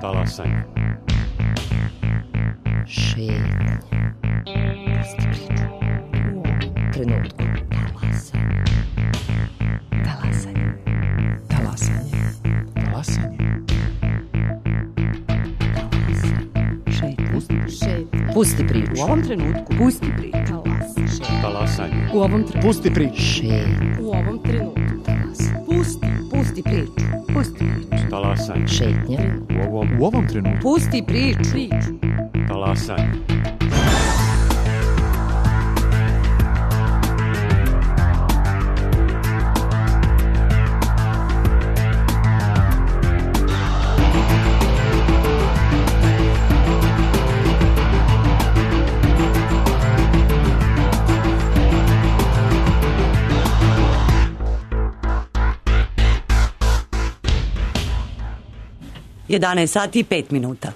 Talasanje. Šetnja. Pusti priču. U ovom trenutku. Talasanje. Talasanje. Talasanje. Šetnja. Pusti priču. U ovom trenutku. Pusti priču. Talasanje. U ovom trenutku. Pusti priču. Šetnja. U ovom trenutku. Pusti priču. Pusti priču. Talasanje. Šetnja. U ovom trenutku. Pusti priču. Talasanje. Jedanaest sati i 5 minuta.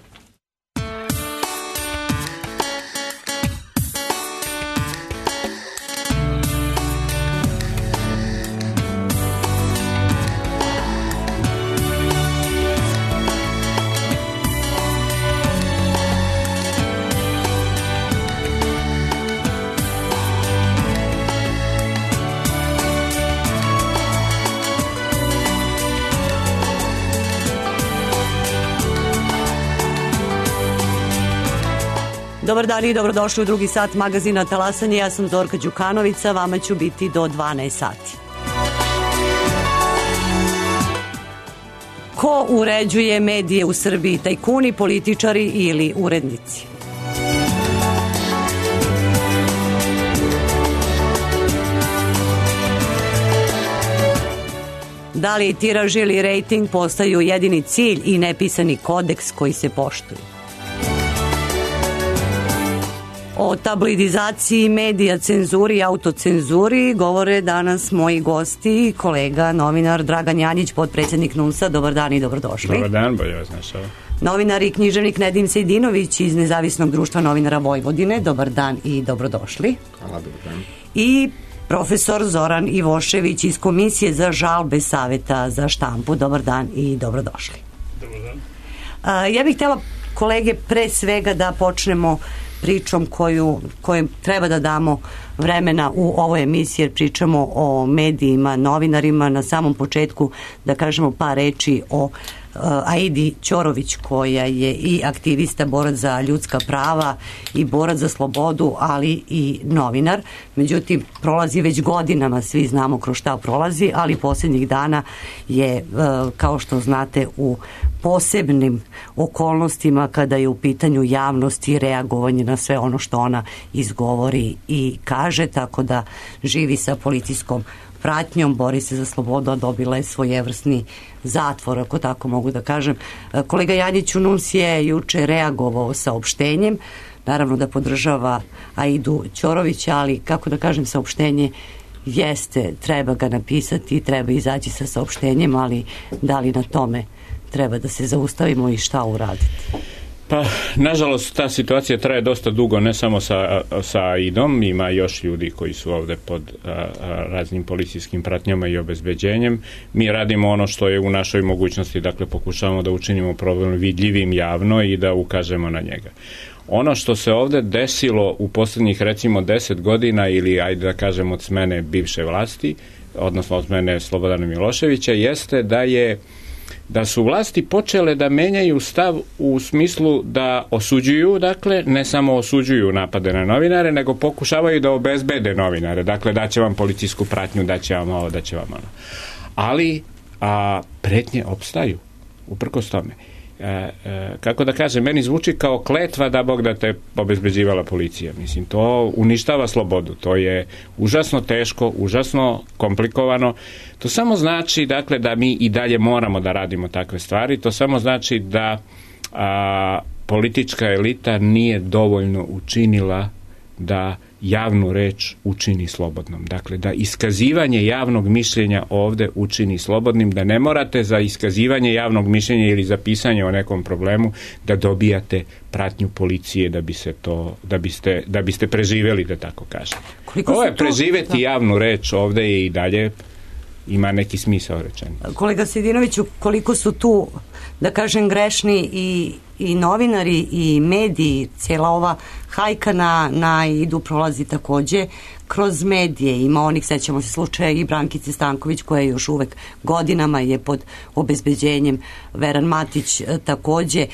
Dobar dan i dobrodošli u drugi sat magazina Talasanje. Ja sam Zorka Đukanovica, vama ću biti do 12 sati. Ko uređuje medije u Srbiji? Tajkuni, političari ili urednici? Da li tiraž ili rejting postaju jedini cilj i nepisani kodeks koji se poštuju? O tabloidizaciji medija, cenzuri i autocenzuri govore danas moji gosti, kolega, novinar Dragan Janjić, potpredsjednik NUNS-a. Dobar dan i dobrodošli. Dobar dan, bolje vas našao. Novinar i književnik Nedim Sejdinović iz Nezavisnog društva novinara Vojvodine. Dobar dan i dobrodošli. Hvala, dobar dan. I profesor Zoran Ivošević iz Komisije za žalbe Saveta za štampu. Dobar dan i dobrodošli. Dobar dan. Ja bih htjela, kolege, pre svega da počnemo pričom kojem treba da damo vremena u ovoj emisiji, jer pričamo o medijima, novinarima. Na samom početku da kažemo par reči o Aidi Ćorović, koja je i aktivista, borac za ljudska prava i borac za slobodu, ali i novinar. Međutim, prolazi već godinama, svi znamo kroz šta prolazi, ali posljednjih dana je, kao što znate, u posebnim okolnostima kada je u pitanju javnost i reagovanje na sve ono što ona izgovori i kaže, tako da živi sa policijskom pratnjom, bori se za slobodu, a dobila je svojevrsni zatvor, ako tako mogu da kažem. Kolega Janjiću, NUNS je juče reagovao saopštenjem, naravno da podržava Aidu Ćorovića, ali kako da kažem, saopštenje jeste, treba ga napisati, treba izaći sa saopštenjem, ali da li na tome treba da se zaustavimo i šta uraditi? Pa, nažalost, ta situacija traje dosta dugo, ne samo sa Aidom, ima još ljudi koji su ovdje pod raznim policijskim pratnjama i obezbeđenjem. Mi radimo ono što je u našoj mogućnosti, dakle pokušavamo da učinimo problem vidljivim javno i da ukažemo na njega. Ono što se ovdje desilo u posljednjih recimo 10 godina ili ajde da kažem od smene bivše vlasti, odnosno od smene Slobodana Miloševića, jeste da su vlasti počele da menjaju stav u smislu da osuđuju, dakle, ne samo osuđuju napade na novinare, nego pokušavaju da obezbede novinare. Dakle, daće vam policijsku pratnju, daće vam ovo, daće vam ono. Ali pretnje opstaju, uprkos tome. Kako da kažem, meni zvuči kao kletva da Bog da te obezbeđivala policija. Mislim, to uništava slobodu. To je užasno teško, užasno komplikovano. To samo znači, dakle, da mi i dalje moramo da radimo takve stvari. To samo znači da politička elita nije dovoljno učinila da javnu reč učini slobodnom. Dakle, da iskazivanje javnog mišljenja ovdje učini slobodnim, da ne morate za iskazivanje javnog mišljenja ili za pisanje o nekom problemu da dobijate pratnju policije da biste preživjeli, da tako kažem. Ovo je preživjeti javnu reč ovdje je i dalje ima neki smisao rečeni. Kolega Sejdinoviću, koliko su tu, da kažem, grešni i novinari i mediji, cijela ova hajka na Idu prolazi takođe kroz medije. Ima onih, sećamo se slučaja i Brankice Stanković, koja još uvek godinama je pod obezbeđenjem, Veran Matić takođe.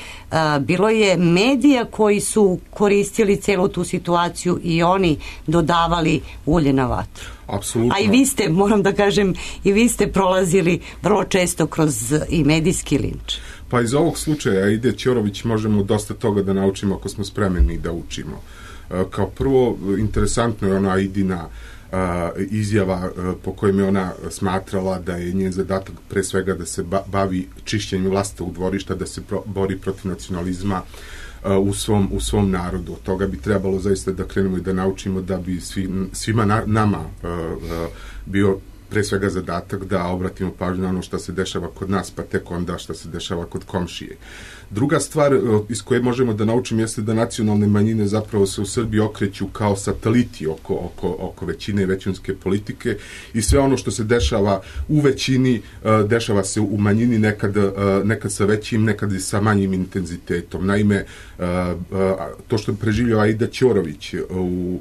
Bilo je medija koji su koristili celu tu situaciju i oni dodavali ulje na vatru. Apsolutno. A i vi ste, moram da kažem, i vi ste prolazili vrlo često kroz i medijski linč. Pa iz ovog slučaja Aide Ćorović možemo dosta toga da naučimo ako smo spremni da učimo. Kao prvo, interesantno je ona Aidina izjava po kojem je ona smatrala da je njen zadatak pre svega da se bavi čišćenjem vlastitog dvorišta, da se bori protiv nacionalizma u svom narodu. Od toga bi trebalo zaista da krenemo i da naučimo da bi svima nama bio pre svega zadatak da obratimo pažnju na ono što se dešava kod nas, pa tek onda što se dešava kod komšije. Druga stvar iz koje možemo da naučimo jeste da nacionalne manjine zapravo se u Srbiji okreću kao sateliti oko većine i većinske politike i sve ono što se dešava u većini, dešava se u manjini nekad sa većim, nekad i sa manjim intenzitetom. Naime, to što preživljava Aida Ćorović u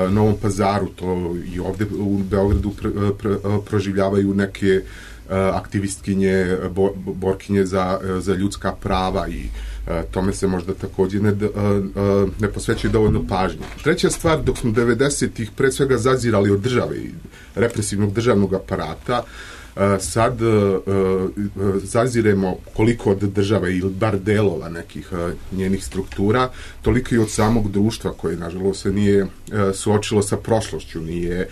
Novom Pazaru, to i ovde u Beogradu proživljavaju neke aktivistkinje, borkinje za ljudska prava i tome se možda takođe ne posvećuje dovoljno pažnje. Treća stvar, dok smo 90-ih pre svega zazirali od države i represivnog državnog aparata, sad zaziremo koliko od države ili bar delova nekih njenih struktura, toliko i od samog društva koje nažalost se nije suočilo sa prošlošću, nije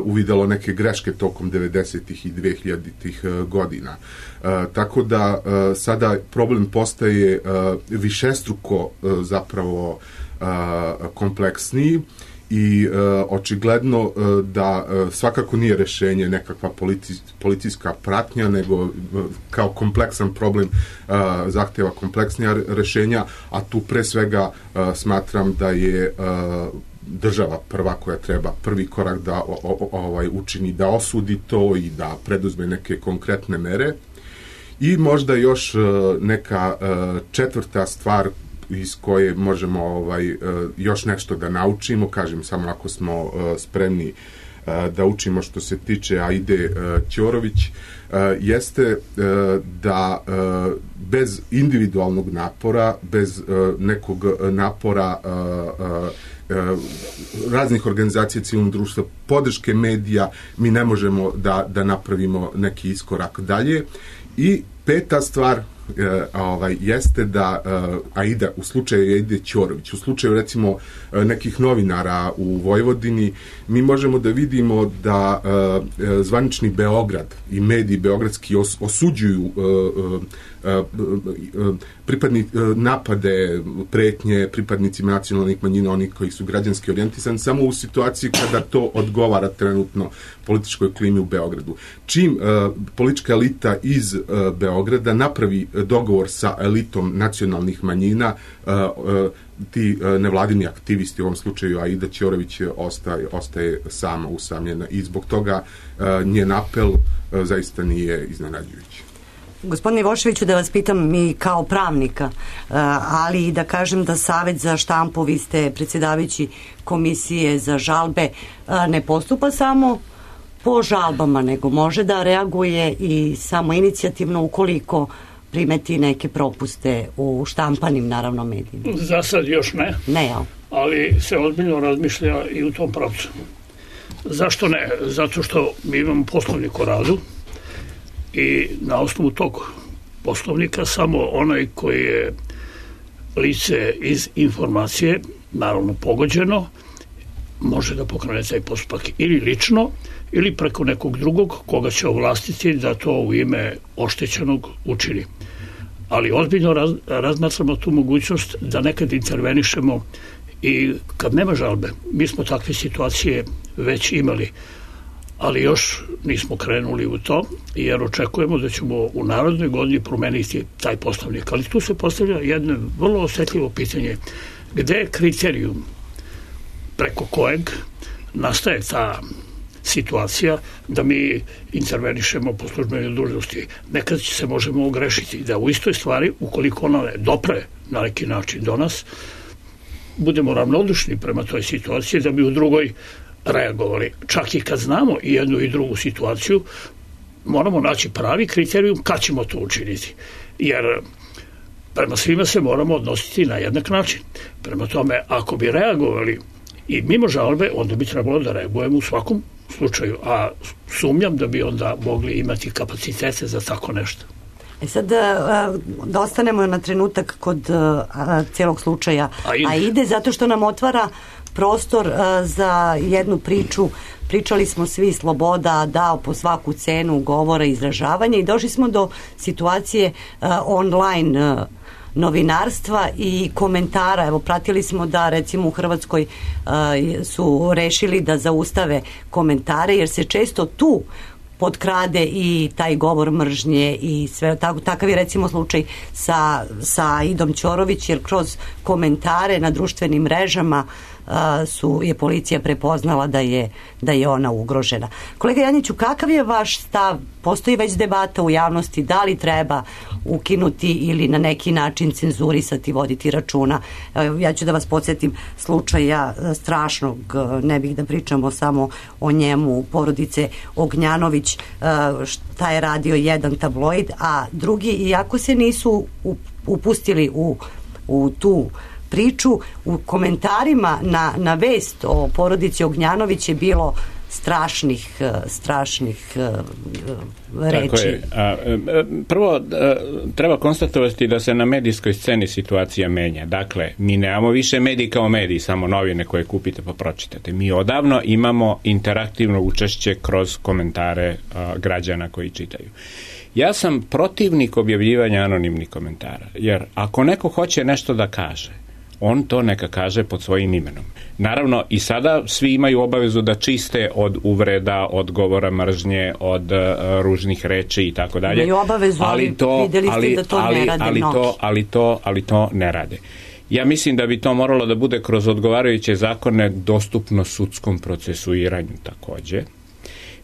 uvidelo neke greške tokom 90-ih i 2000-ih godina. Tako da sada problem postaje višestruko zapravo kompleksniji i očigledno da svakako nije rešenje nekakva policijska pratnja, nego kao kompleksan problem zahteva kompleksnija rešenja, a tu pre svega smatram da je država prva koja treba prvi korak da učini, da osudi to i da preduzme neke konkretne mere. I možda još neka četvrta stvar iz koje možemo još nešto da naučimo, kažem samo ako smo spremni da učimo što se tiče Aide Ćorović, jeste da bez individualnog napora, bez nekog napora raznih organizacija civilnog društva, podrške medija, mi ne možemo da napravimo neki iskorak dalje. I peta stvar jeste da Aida, u slučaju Aide Ćorović, u slučaju recimo nekih novinara u Vojvodini, mi možemo da vidimo da zvanični Beograd i mediji beogradski osuđuju napade, pretnje pripadnicima nacionalnih manjina, onih koji su građanski orijentisani, samo u situaciji kada to odgovara trenutno političkoj klimi u Beogradu. Čim politička elita iz Beograda napravi dogovor sa elitom nacionalnih manjina, ti nevladini aktivisti, u ovom slučaju Aida Ćorović, ostaje sama usamljena i zbog toga njen apel zaista nije iznenađujući. Gospodine Ivoševiću, da vas pitam i kao pravnika, ali i da kažem da Savet za štampu, vi ste predsjedavajući Komisije za žalbe, ne postupa samo po žalbama, nego može da reaguje i samo inicijativno ukoliko primeti neke propuste u štampanim, naravno, medijima. Za sad još ne. Ne, jel? Ali se ozbiljno razmišlja i u tom pravcu. Zašto ne? Zato što mi imamo poslovnik o radu i na osnovu tog poslovnika samo onaj koji je lice iz informacije, naravno pogođeno, može da pokrene taj postupak ili lično ili preko nekog drugog koga će ovlastiti da to u ime oštećenog učini. Ali ozbiljno razmatramo tu mogućnost da nekad intervenišemo i kad nema žalbe. Mi smo takve situacije već imali, ali još nismo krenuli u to, jer očekujemo da ćemo u narednoj godini promeniti taj poslovnik. Ali tu se postavlja jedno vrlo osetljivo pitanje. Gde je kriterijum preko kojeg nastaje ta situacija da mi intervenišemo po službenoj dužnosti. Nekad se možemo ogrešiti da u istoj stvari, ukoliko ona ne dopre na neki način do nas, budemo ravnodušni prema toj situaciji, da bi u drugoj reagovali. Čak i kad znamo i jednu i drugu situaciju, moramo naći pravi kriterijum kad ćemo to učiniti. Jer prema svima se moramo odnositi na jednak način. Prema tome, ako bi reagovali i mimo žalbe, onda bi trebalo da reagujemo u svakom slučaju. A sumnjam da bi onda mogli imati kapacitete za tako nešto. Sad da ostanemo na trenutak kod cijelog slučaja Aide, zato što nam otvara prostor za jednu priču. Pričali smo svi sloboda, dao po svaku cenu govora i izražavanja i došli smo do situacije online novinarstva i komentara. Evo, pratili smo da recimo u Hrvatskoj su rešili da zaustave komentare jer se često tu potkrade i taj govor mržnje i sve. Takav je recimo slučaj sa Idom Ćorović, jer kroz komentare na društvenim mrežama je policija prepoznala da je ona ugrožena. Kolega Janjiću, kakav je vaš stav? Postoji već debata u javnosti da li treba ukinuti ili na neki način cenzurisati, voditi računa. Ja ću da vas podsjetim slučaja strašnog, ne bih da pričamo samo o njemu, porodice Ognjanović, šta je radio jedan tabloid, a drugi, iako se nisu upustili u tu priču, u komentarima na vest o porodici Ognjanović je bilo strašnih reči. Tako je. Prvo, treba konstatovati da se na medijskoj sceni situacija menja. Dakle, mi nemamo više mediji kao mediji, samo novine koje kupite pa pročitate. Mi odavno imamo interaktivno učešće kroz komentare građana koji čitaju. Ja sam protivnik objavljivanja anonimnih komentara, jer ako neko hoće nešto da kaže, on to neka kaže pod svojim imenom. Naravno, i sada svi imaju obavezu da čiste od uvreda, od govora mržnje, od ružnih reči i tako dalje. Imaju obavezu, ali videli ste da to ne rade mnogi. Ali to ne rade. Ja mislim da bi to moralo da bude kroz odgovarajuće zakone dostupno sudskom procesuiranju takođe.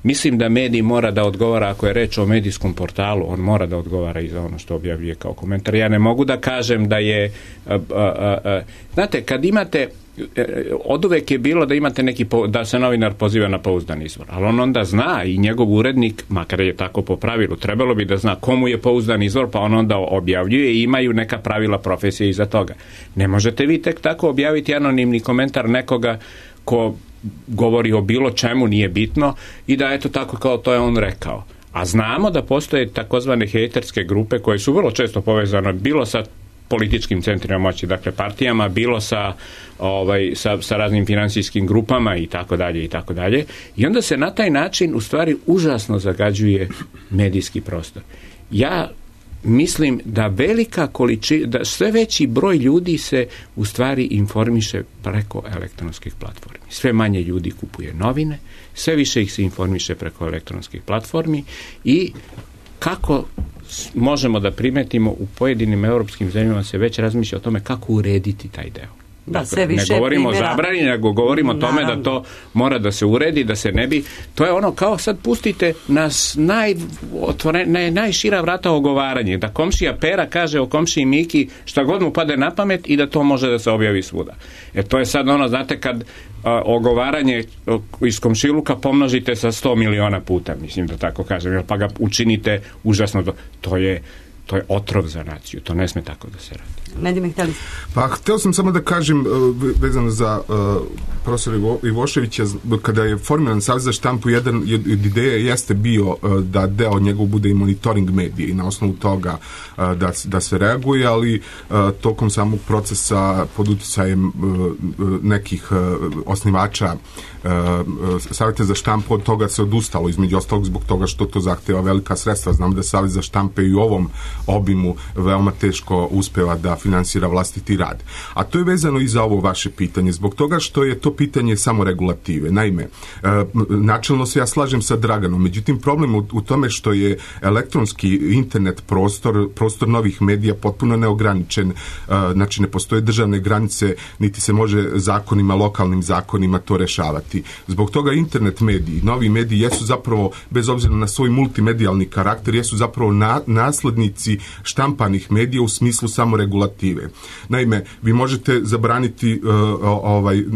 Mislim da medij mora da odgovara, ako je reč o medijskom portalu, on mora da odgovara i za ono što objavljuje kao komentar. Ja ne mogu da kažem da je... znate, kad imate... Oduvek je bilo da imate da se novinar poziva na pouzdan izvor, ali on onda zna i njegov urednik, makar je tako po pravilu, trebalo bi da zna komu je pouzdan izvor, pa on onda objavljuje i imaju neka pravila profesije iza toga. Ne možete vi tek tako objaviti anonimni komentar nekoga ko govori o bilo čemu, nije bitno, i da eto tako kao to je on rekao. A znamo da postoje takozvane hejterske grupe koje su vrlo često povezane bilo sa političkim centrima moći, dakle partijama, bilo sa raznim finansijskim grupama i tako dalje i tako dalje. I onda se na taj način u stvari užasno zagađuje medijski prostor. Ja mislim da da sve veći broj ljudi se u stvari informiše preko elektronskih platformi. Sve manje ljudi kupuje novine, sve više ih se informiše preko elektronskih platformi i kako možemo da primetimo u pojedinim europskim zemljama se već razmišlja o tome kako urediti taj deo. Da, sve više ne govorimo o zabrani, nego govorimo o tome da to mora da se uredi, da se ne bi... To je ono kao sad pustite nas najšira vrata ogovaranje, da komšija Pera kaže o komšiji Miki šta god mu pade na pamet i da to može da se objavi svuda. To je sad ono, znate, kad ogovaranje iz komšiluka pomnožite sa 100 miliona puta, mislim da tako kažem, pa ga učinite užasno. To je otrov za naciju, to ne sme tako da se radi. Pa hteo sam samo da kažem vezano za profesora Ivoševića, kada je formiran Savez za štampu, jedan od ideja jeste bio da deo njegov bude i monitoring medije i na osnovu toga da se reaguje, ali tokom samog procesa pod uticajem nekih osnivača Saveta za štampu od toga se odustalo, između ostalog zbog toga što to zahteva velika sredstva. Znam da Savez za štampe i u ovom obimu veoma teško uspeva da finansira vlastiti rad. A to je vezano i za ovo vaše pitanje, zbog toga što je to pitanje samoregulative. Naime, načelno se ja slažem sa Draganom, međutim problem u tome što je elektronski internet prostor novih medija potpuno neograničen, znači ne postoje državne granice, niti se može zakonima, lokalnim zakonima to rešavati. Zbog toga internet mediji, novi mediji jesu zapravo, bez obzira na svoj multimedijalni karakter, jesu zapravo naslednici štampanih medija u smislu samoregulative. Naime, vi možete zabraniti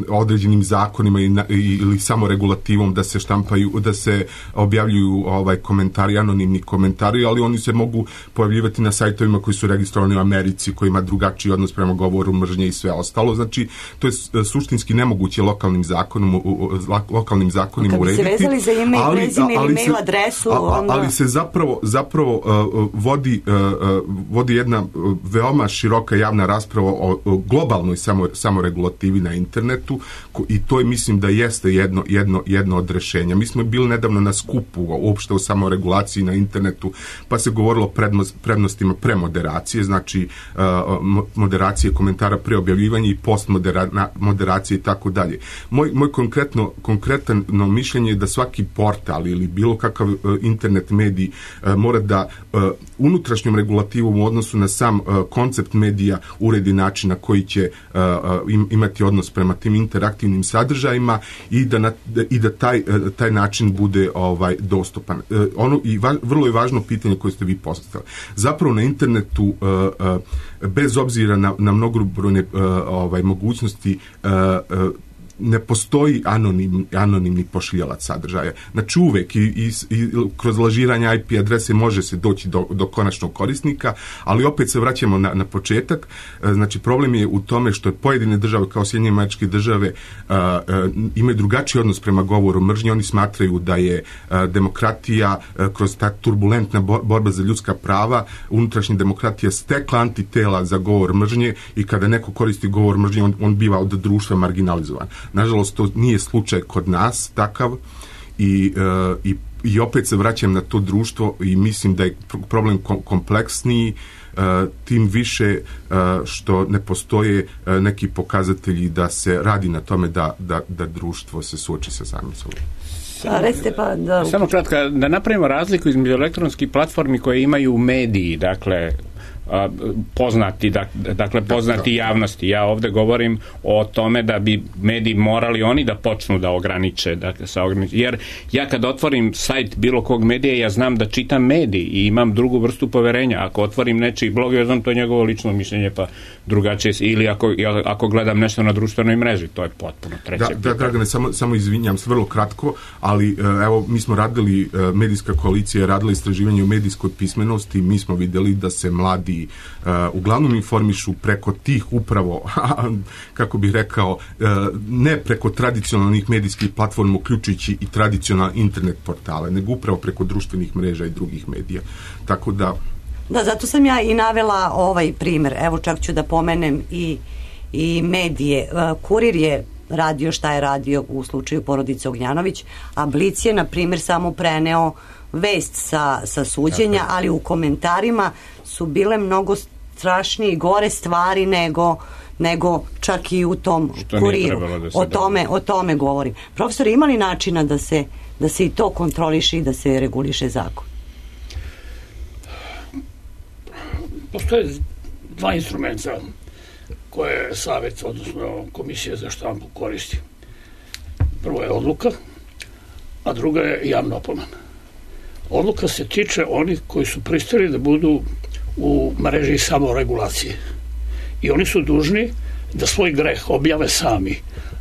određenim zakonima ili samoregulativom da se štampaju, da se objavljuju komentari, anonimni komentari, ali oni se mogu pojavljivati na sajtovima koji su registrovani u Americi, koji ima drugačiji odnos prema govoru mržnje i sve ostalo. Znači, to je suštinski nemoguće lokalnim zakonima urediti. Kad bi se vezali za ime i prezime ili mail adresu, ali se zapravo vodi jedna veoma široka javna rasprava o globalnoj samoregulativi na internetu i to je, mislim da jeste jedno od rešenja. Mi smo bili nedavno na skupu uopšte o samoregulaciji na internetu, pa se govorilo o prednostima premoderacije, znači moderacije komentara pre objavljivanja i postmoderacije i tako dalje. Moj konkretno mišljenje je da svaki portal ili bilo kakav internet medij mora da unutrašnjom regulativom u odnosu na sam koncept medija uredi način na koji će imati odnos prema tim interaktivnim sadržajima i da taj način bude dostupan. Vrlo je važno pitanje koje ste vi postavili. Zapravo na internetu bez obzira na mnogobrojne mogućnosti ne postoji anonimni pošiljalac sadržaja. Znači uvek i kroz lažiranje IP adrese može se doći do konačnog korisnika, ali opet se vraćamo na početak. Znači problem je u tome što pojedine države kao Sjedinjene Američke Države imaju drugačiji odnos prema govoru mržnje. Oni smatraju da je demokratija kroz ta turbulentna borba za ljudska prava, unutrašnja demokratija stekla antitela za govor mržnje i kada neko koristi govor mržnje, on biva od društva marginalizovan. Nažalost, to nije slučaj kod nas takav i opet se vraćam na to društvo i mislim da je problem kompleksniji, tim više što ne postoje neki pokazatelji da se radi na tome da društvo se suoči sa samim sobom. Samo kratko, da napravimo razliku između elektronskih platformi koje imaju mediji, dakle poznati javnosti. Ja ovdje govorim o tome da bi mediji morali oni da počnu da ograniče, jer ja kad otvorim sajt bilo kog medija, ja znam da čitam medij i imam drugu vrstu poverenja. Ako otvorim nečiji blog, ja znam to je njegovo lično mišljenje, pa drugačije, ili ako gledam nešto na društvenoj mreži, to je potpuno treće pitanje. Dragane, samo izvinjam se vrlo kratko, ali evo, mi smo radili, medijska koalicija je radila istraživanje o medijskoj pismenosti, mi smo vidjeli da se mladi uglavnom informišu preko tih upravo, kako bih rekao, ne preko tradicionalnih medijskih platforma, uključujući i tradicionalne internet portale, nego upravo preko društvenih mreža i drugih medija. Tako da... Da, zato sam ja i navela ovaj primer. Evo, čak ću da pomenem i medije. Kurir je radio šta je radio u slučaju porodice Ognjanović, a Blic je, na primjer, samo preneo vest sa suđenja, ali u komentarima su bile mnogo strašnije i gore stvari nego čak i u tom Kuriru. O tome govorim. Profesor, ima li načina da se i to kontroliše i da se reguliše zakon? Postoje dva instrumenta koje savjet, odnosno Komisija za štampu koristi. Prvo je odluka, a druga je javna opomena. Odluka se tiče onih koji su pristali da budu u mreži samoregulacije. I oni su dužni da svoj greh objave sami.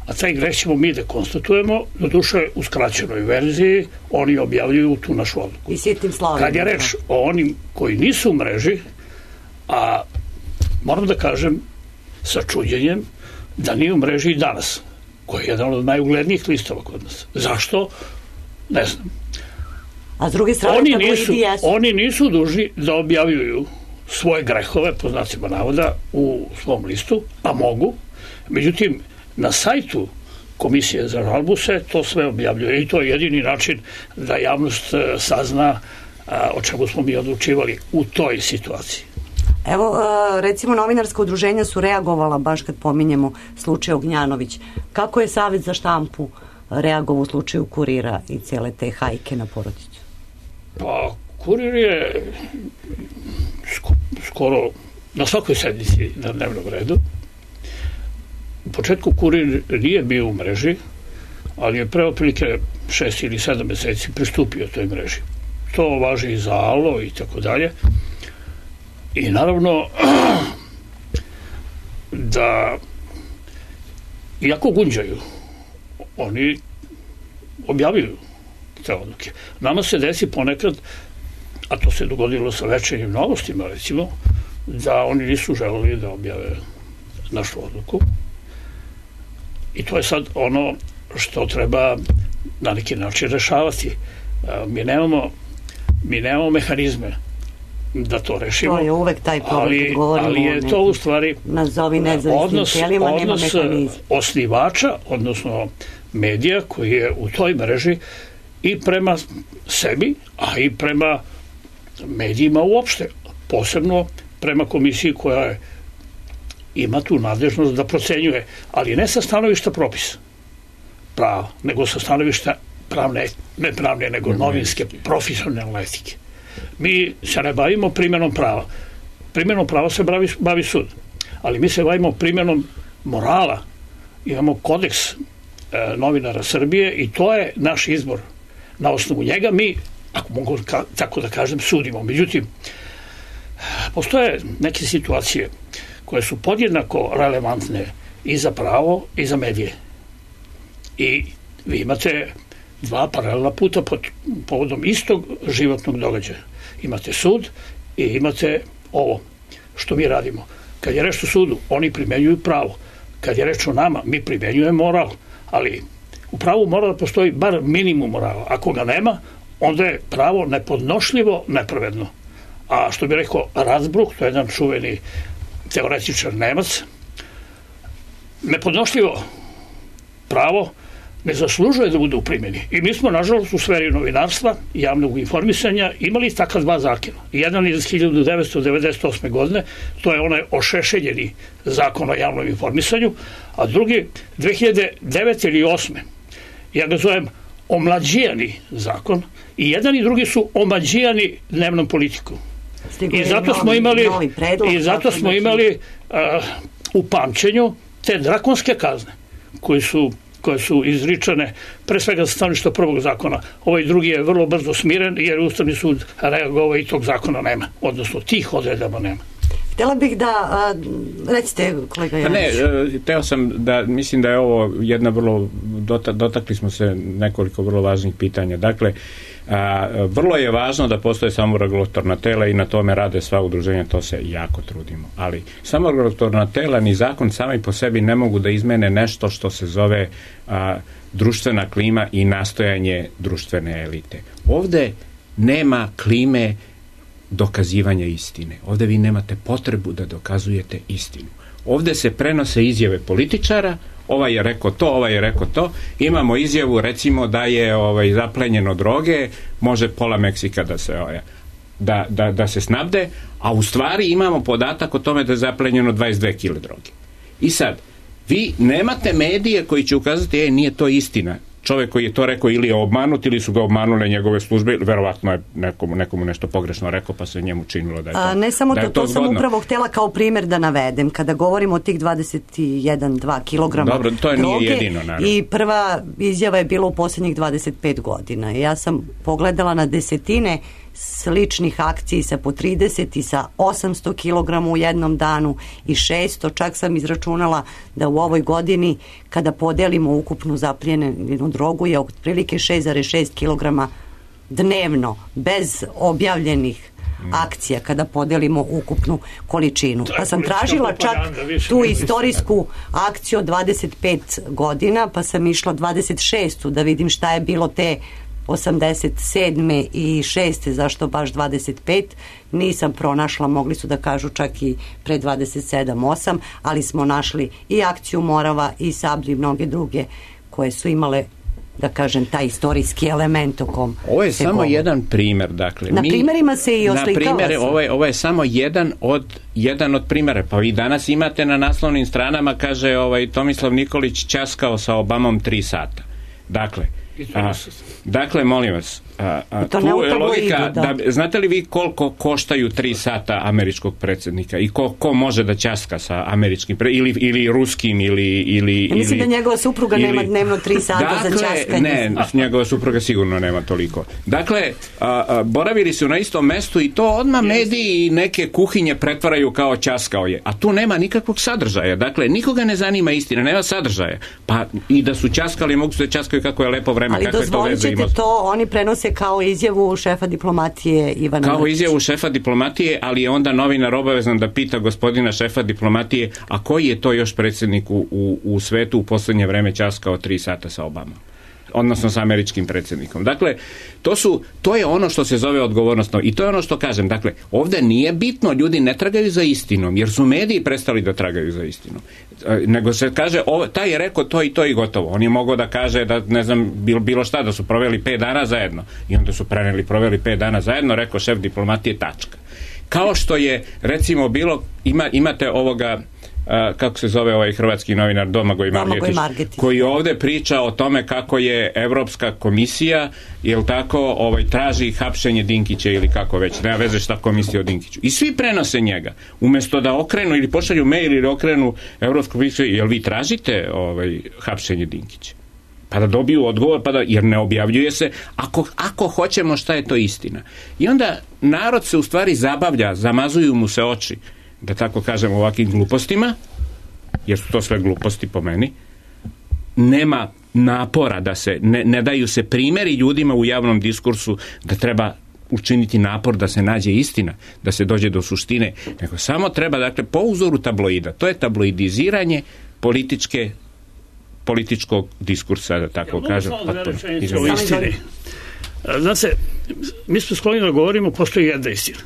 A taj greh ćemo mi da konstatujemo, doduše u skraćenoj verziji, oni objavljuju tu našu odluku. I sitnim slovima. Kad je reč o onim koji nisu u mreži, a moram da kažem sa čuđenjem da nije u mreži i Danas, koji je jedan od najuglednijih listova kod nas. Zašto? Ne znam. A s druge strane, oni nisu dužni da objavljuju svoje grehove, po znacima navoda, u svom listu, a mogu. Međutim, na sajtu Komisije za žalbu se to sve objavljuje i to je jedini način da javnost sazna o čemu smo mi odlučivali u toj situaciji. Evo, recimo novinarska udruženja su reagovala baš kad pominjemo slučaj Ognjanović. Kako je Savez za štampu reagovao u slučaju Kurira i cijele te hajke na porodicu? Pa, Kurir je skoro na svakoj sednici na dnevnom redu. U početku Kurir nije bio u mreži, ali je pre otprilike 6 ili 7 meseci pristupio toj mreži. To važi i za Alo i tako dalje. I naravno da iako gunđaju, oni objavljuju te odluke. Nama se desi ponekad, a to se dogodilo sa Večernjim novostima recimo, da oni nisu želeli da objave našu odluku. I to je sad ono što treba na neki način rešavati. Mi nemamo mehanizme da to rešimo. To je uvek taj problem kad govorimo ali je to u stvari nazovi nezavisnim tijelima, nema mehanizma. Osnivača, odnosno medija koji je u toj mreži i prema sebi, a i prema medijima uopšte. Posebno prema komisiji koja ima tu nadležnost da procenjuje, ali ne sa stanovišta propisa prava, nego sa stanovišta ne pravne, nego novinske, profesionalne etike. Mi se ne bavimo primjenom prava. Primjenom prava se bavi sud. Ali mi se bavimo primjenom morala. Imamo kodeks novinara Srbije i to je naš izbor. Na osnovu njega mi, ako mogu tako da kažem, sudimo. Međutim, postoje neke situacije koje su podjednako relevantne i za pravo i za medije. I vi imate dva paralelna puta povodom istog životnog događaja. Imate sud i imate ovo što mi radimo. Kad je reč o sudu, oni primenjuju pravo. Kad je reč o nama, mi primenjujemo moral. Ali u pravu mora da postoji bar minimum morala. Ako ga nema, onda je pravo nepodnošljivo nepravedno. A što bi rekao Razbruch, to je jedan čuveni teoretičar Nemac, nepodnošljivo pravo ne zaslužuje da bude u primjeni. I mi smo, nažalost, u sferi novinarstva i javnog informisanja imali takav dva zakona. Jedan iz 1998. godine, to je onaj ošešeljeni zakon o javnom informisanju, a drugi 2009. ili 2008. Ja ga zovem omlađijani zakon i jedan i drugi su omađijani dnevnom politikom. I zato smo imali u pamćenju te drakonske kazne koje su izričane pre svega za stanovišta prvog zakona. Ovaj drugi je vrlo brzo smiren jer Ustavni sud reagovao i tog zakona nema, odnosno tih odredaba nema. Htjela bih da, recite kolega Janić. Hteo sam da, mislim da je ovo jedna vrlo, dotakli smo se nekoliko vrlo važnih pitanja. Dakle, vrlo je važno da postoje samoregulatorna tela i na tome rade sva udruženja, to se jako trudimo. Ali samoregulatorna tela ni zakon sami po sebi ne mogu da izmene nešto što se zove društvena klima i nastojanje društvene elite. Ovde nema klime dokazivanja istine. Ovde vi nemate potrebu da dokazujete istinu. Ovde se prenose izjave političara, ovaj je rekao to, ovaj je rekao to. Imamo izjavu, recimo, da je zaplenjeno droge, može pola Meksika da se snabde, a u stvari imamo podatak o tome da je zaplenjeno 22 kg droge. I sad, vi nemate medije koji će ukazati, nije to istina. Čovjek koji je to rekao ili je obmanut ili su ga obmanule njegove službe, verovatno je nekomu nešto pogrešno rekao pa se njemu činilo da je to. Ne samo to sam upravo htjela kao primjer da navedem. Kada govorimo o tih 21-2 kilograma droge, to nije jedino, naravno. I prva izjava je bila u posljednjih 25 godina. Ja sam pogledala na desetine sličnih akciji sa po 30 i sa 800 kilograma u jednom danu i 600, čak sam izračunala da u ovoj godini kada podelimo ukupnu zaplijenu drogu je otprilike 6,6 kilograma dnevno, bez objavljenih akcija kada podelimo ukupnu količinu. Pa sam tražila čak tu istorijsku akciju od 25 godina, pa sam išla 26. da vidim šta je bilo te 87. i 6. zašto baš 25. Nisam pronašla, mogli su da kažu čak i pre 27-8, ali smo našli i akciju Morava i Sablju i mnoge druge koje su imale da kažem, taj istorijski element o kom ovo je se samo govori. jedan primer, dakle. Na primerima se i oslikava. Ovo je samo jedan od primjera. Pa vi danas imate na naslovnim stranama, kaže Tomislav Nikolić ćaskao sa Obamom 3 sata. Dakle, molim vas, tu je logika, znate li vi koliko koštaju 3 sata američkog predsjednika i ko može da ćaska sa američkim ili ruskim ili mislim da njegova supruga nema dnevno 3 sata za ćaskanje. Ne, njegova supruga sigurno nema toliko. Dakle, boravili su na istom mestu i to odmah mediji i neke kuhinje pretvaraju kao ćaskao je, a tu nema nikakvog sadržaja. Dakle, nikoga ne zanima istina, nema sadržaja. Pa i da su ćaskali, mogu se da ćaskaju kako je lepo vreme. Ali dozvolit ćete to, oni prenose kao izjavu šefa diplomatije Ivana Mrkića. Kao izjavu šefa diplomatije, ali je onda novinar obavezan da pita gospodina šefa diplomatije, a koji je to još predsjednik u svetu u posljednje vreme ćaskao 3 sata sa Obamom, odnosno sa američkim predsjednikom. Dakle, to je ono što se zove odgovornost i to je ono što kažem. Dakle, ovdje nije bitno, ljudi ne tragaju za istinom, jer su mediji prestali da tragaju za istinom. Nego se kaže, taj je rekao to i to i gotovo. On je mogao da kaže da, ne znam, bilo šta, da su proveli 5 dana zajedno. I onda su proveli 5 dana zajedno, rekao šef diplomatije, tačka. Kao što je, recimo, bilo, imate ovoga, kako se zove ovaj hrvatski novinar Domagoj Margetić, koji ovdje priča o tome kako je Evropska komisija, jel tako, traži hapšenje Dinkića ili kako već, nema veze šta komisija o Dinkiću. I svi prenose njega. Umjesto da okrenu ili pošalju mail ili okrenu Evropsku komisiju, jel vi tražite hapšenje Dinkića? Pa da dobiju odgovor, jer ne objavljuje se, ako hoćemo šta je to istina. I onda narod se u stvari zabavlja, zamazuju mu se oči, da tako kažem, ovakvim glupostima, jer su to sve gluposti po meni. Nema napora da se, ne daju se primjeri ljudima u javnom diskursu da treba učiniti napor da se nađe istina, da se dođe do suštine, nego samo treba, dakle, po uzoru tabloida, to je tabloidiziranje političkog diskursa, da tako kažem. Znate, mi smo skloni da govorimo, postoji jedna istina.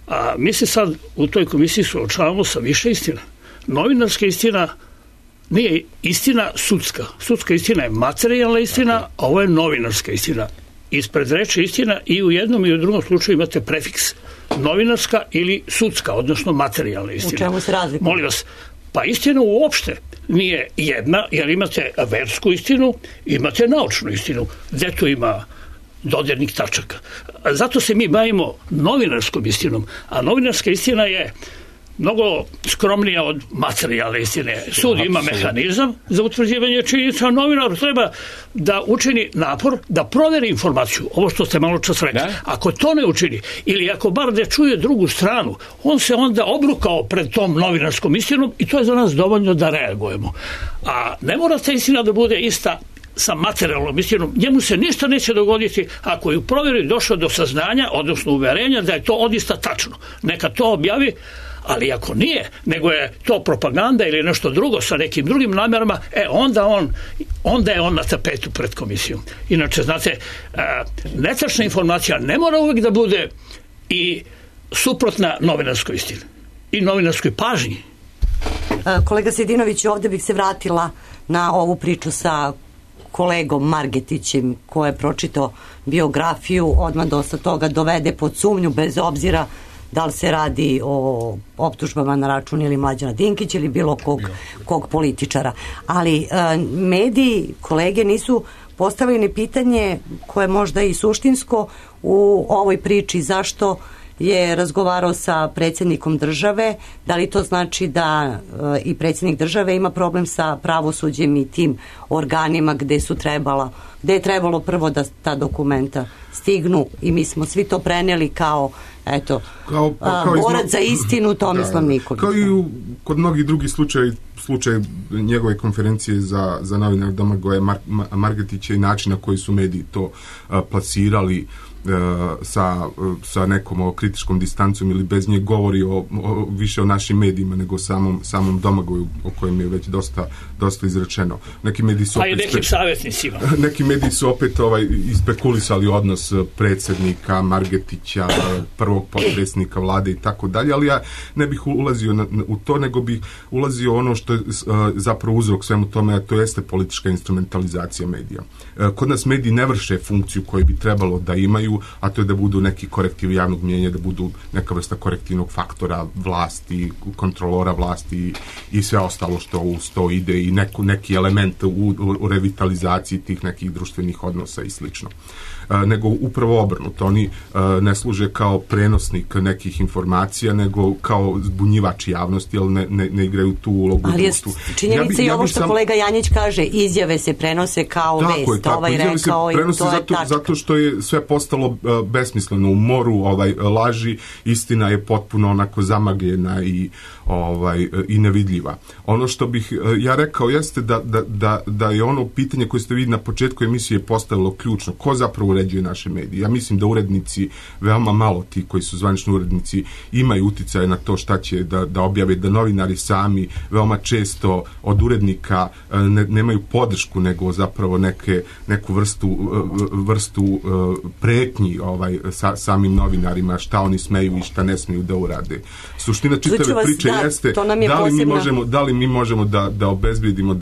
A mi se sad u toj komisiji suočavamo sa više istina. Novinarska istina nije istina sudska. Sudska istina je materijalna istina, a ovo je novinarska istina. Ispred reči istina i u jednom i u drugom slučaju imate prefiks novinarska ili sudska, odnosno materijalna istina. U čemu se razlikuje? Molim vas, pa istina uopšte nije jedna, jer imate versku istinu, imate naučnu istinu. Gde tu ima dodirnih tačaka. Zato se mi bavimo novinarskom istinom, a novinarska istina je mnogo skromnija od materijalne istine. Sud ima mehanizam za utvrđivanje činjenica, a novinar treba da učini napor, da proveri informaciju, ovo što ste malo čas rekli. Ako to ne učini, ili ako bar da čuje drugu stranu, on se onda obrukao pred tom novinarskom istinom i to je za nas dovoljno da reagujemo. A ne mora ta istina da bude ista sa materijalnom istinom, njemu se ništa neće dogoditi ako je u provjeri došao do saznanja, odnosno uverenja da je to odista tačno. Neka to objavi, ali ako nije, nego je to propaganda ili nešto drugo sa nekim drugim namjerama, onda je on na tapetu pred komisijom. Inače, znate, netačna informacija ne mora uvijek da bude i suprotna novinarskoj istini i novinarskoj pažnji. Kolega Sejdinović, ovdje bih se vratila na ovu priču sa kolegom Margetićem, ko je pročitao biografiju, odmah dosta toga dovede pod sumnju, bez obzira da li se radi o optužbama na račun ili Mlađana Dinkića ili bilo kog političara. Ali mediji, kolege, nisu postavili pitanje koje je možda i suštinsko u ovoj priči, zašto je razgovarao sa predsjednikom države, da li to znači da i predsjednik države ima problem sa pravosuđem i tim organima gde je trebalo prvo da ta dokumenta stignu i mi smo svi to preneli kao borac za istinu Tomislav Nikolić. Kao i kod mnogih drugih slučaj njegove konferencije za novinar Domagoja Margetića i način na koji su mediji to plasirali sa nekom kritičkom distancom ili bez nje govori više o našim medijima nego samom Domagoju o kojem je već dosta izrečeno. Neki mediji su i nekim savjetnicima. Neki mediji su opet ispekulisali odnos predsjednika Margetića, prvog potpredsjednika vlade i tako dalje, ali ja ne bih ulazio u to, nego bih ulazio ono što je zapravo uzrok svemu tome, a to jeste politička instrumentalizacija medija. Kod nas mediji ne vrše funkciju koju bi trebalo da imaju, a to je da budu neki korektiv javnog mnijenja, da budu neka vrsta korektivnog faktora vlasti, kontrolora vlasti i sve ostalo što uz to ide i neki element u revitalizaciji tih nekih društvenih odnosa i slično. Nego upravo obrnuto. Oni ne služe kao prenosnik nekih informacija, nego kao zbunjivač javnosti, ali ne igraju tu ulogu. Ali je činjenica i ovo što kolega Janjić kaže, izjave se prenose kao vest. Tako, izjave se prenose zato što je sve postalo besmisleno. U moru laži, istina je potpuno onako zamagljena i nevidljiva. Ono što bih ja rekao jeste da je ono pitanje koje ste vidjeli na početku emisije postavilo ključno. Ko zapravo uređuje naše medije? Ja mislim da urednici, veoma malo ti koji su zvanični urednici, imaju uticaje na to šta će da objave, da novinari sami veoma često od urednika nemaju podršku, nego zapravo neku vrstu pretnji samim novinarima, šta oni smeju i šta ne smeju da urade. Suština čitave priče jeste da li mi možemo da obezbedimo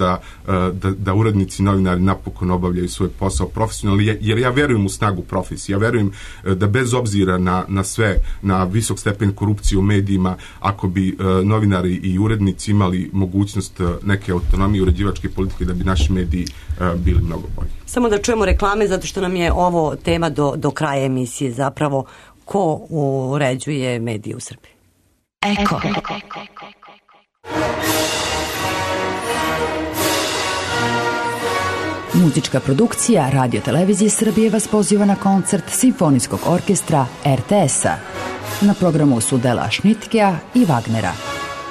da urednici i novinari napokon obavljaju svoj posao profesionalno, jer ja verujem u snagu profesije. Ja verujem da bez obzira na sve, na visok stepen korupcije u medijima, ako bi novinari i urednici imali mogućnost neke autonomije uređivačke politike, da bi naši mediji bili mnogo bolji. Samo da čujemo reklame, zato što nam je ovo tema do kraja emisije, zapravo ko uređuje medije u Srbiji. Eko. Muzička produkcija Radio Televizije Srbije vas poziva na koncert Simfonijskog orkestra RTS-a. Na programu su dela Šnitkea i Wagnera.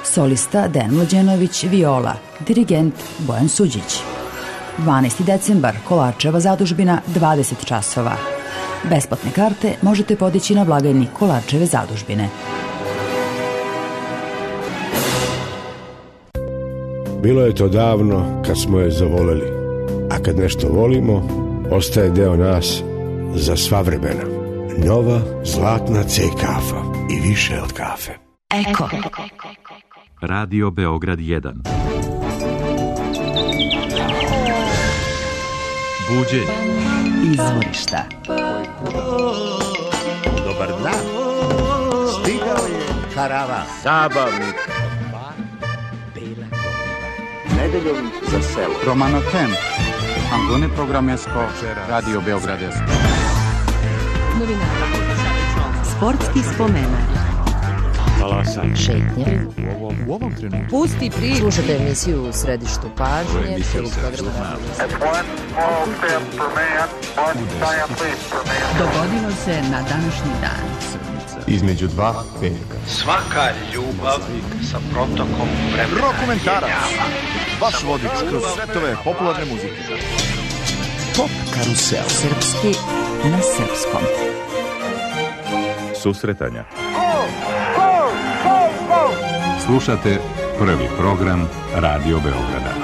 Solista Dejan Mlađenović, viola, dirigent Bojan Suđić. 12. decembar, Kolarčeva zadužbina, 20 časova. Besplatne karte možete podići na blagajni Kolarčeve zadužbine. Bilo je to davno kad smo je zavoleli, a kad nešto volimo, ostaje deo nas za sva vremena. Nova zlatna C kafa i više od kafe. Eko. Radio Beograd 1. Buđenje. Izvorišta. Dobar dan. Stigao je karavan. Zabavnik. Nedeljom za selo. Romano Tem. Angone Programesko. Radio Beograd 1. Sportski spomenak. Talasanje. Šetnje. U ovom trenutku. Pusti priču. Slušajte emisiju u središtu pažnje. Dogodilo se na današnji dan. Između dva petka. Svaka ljubav sa protokom vremena. Rokomentarac. Vaš vodič kroz svetove popularne muzike. Pop karusel. Srpski na srpskom. Susretanja. Slušate prvi program Radio Beograda.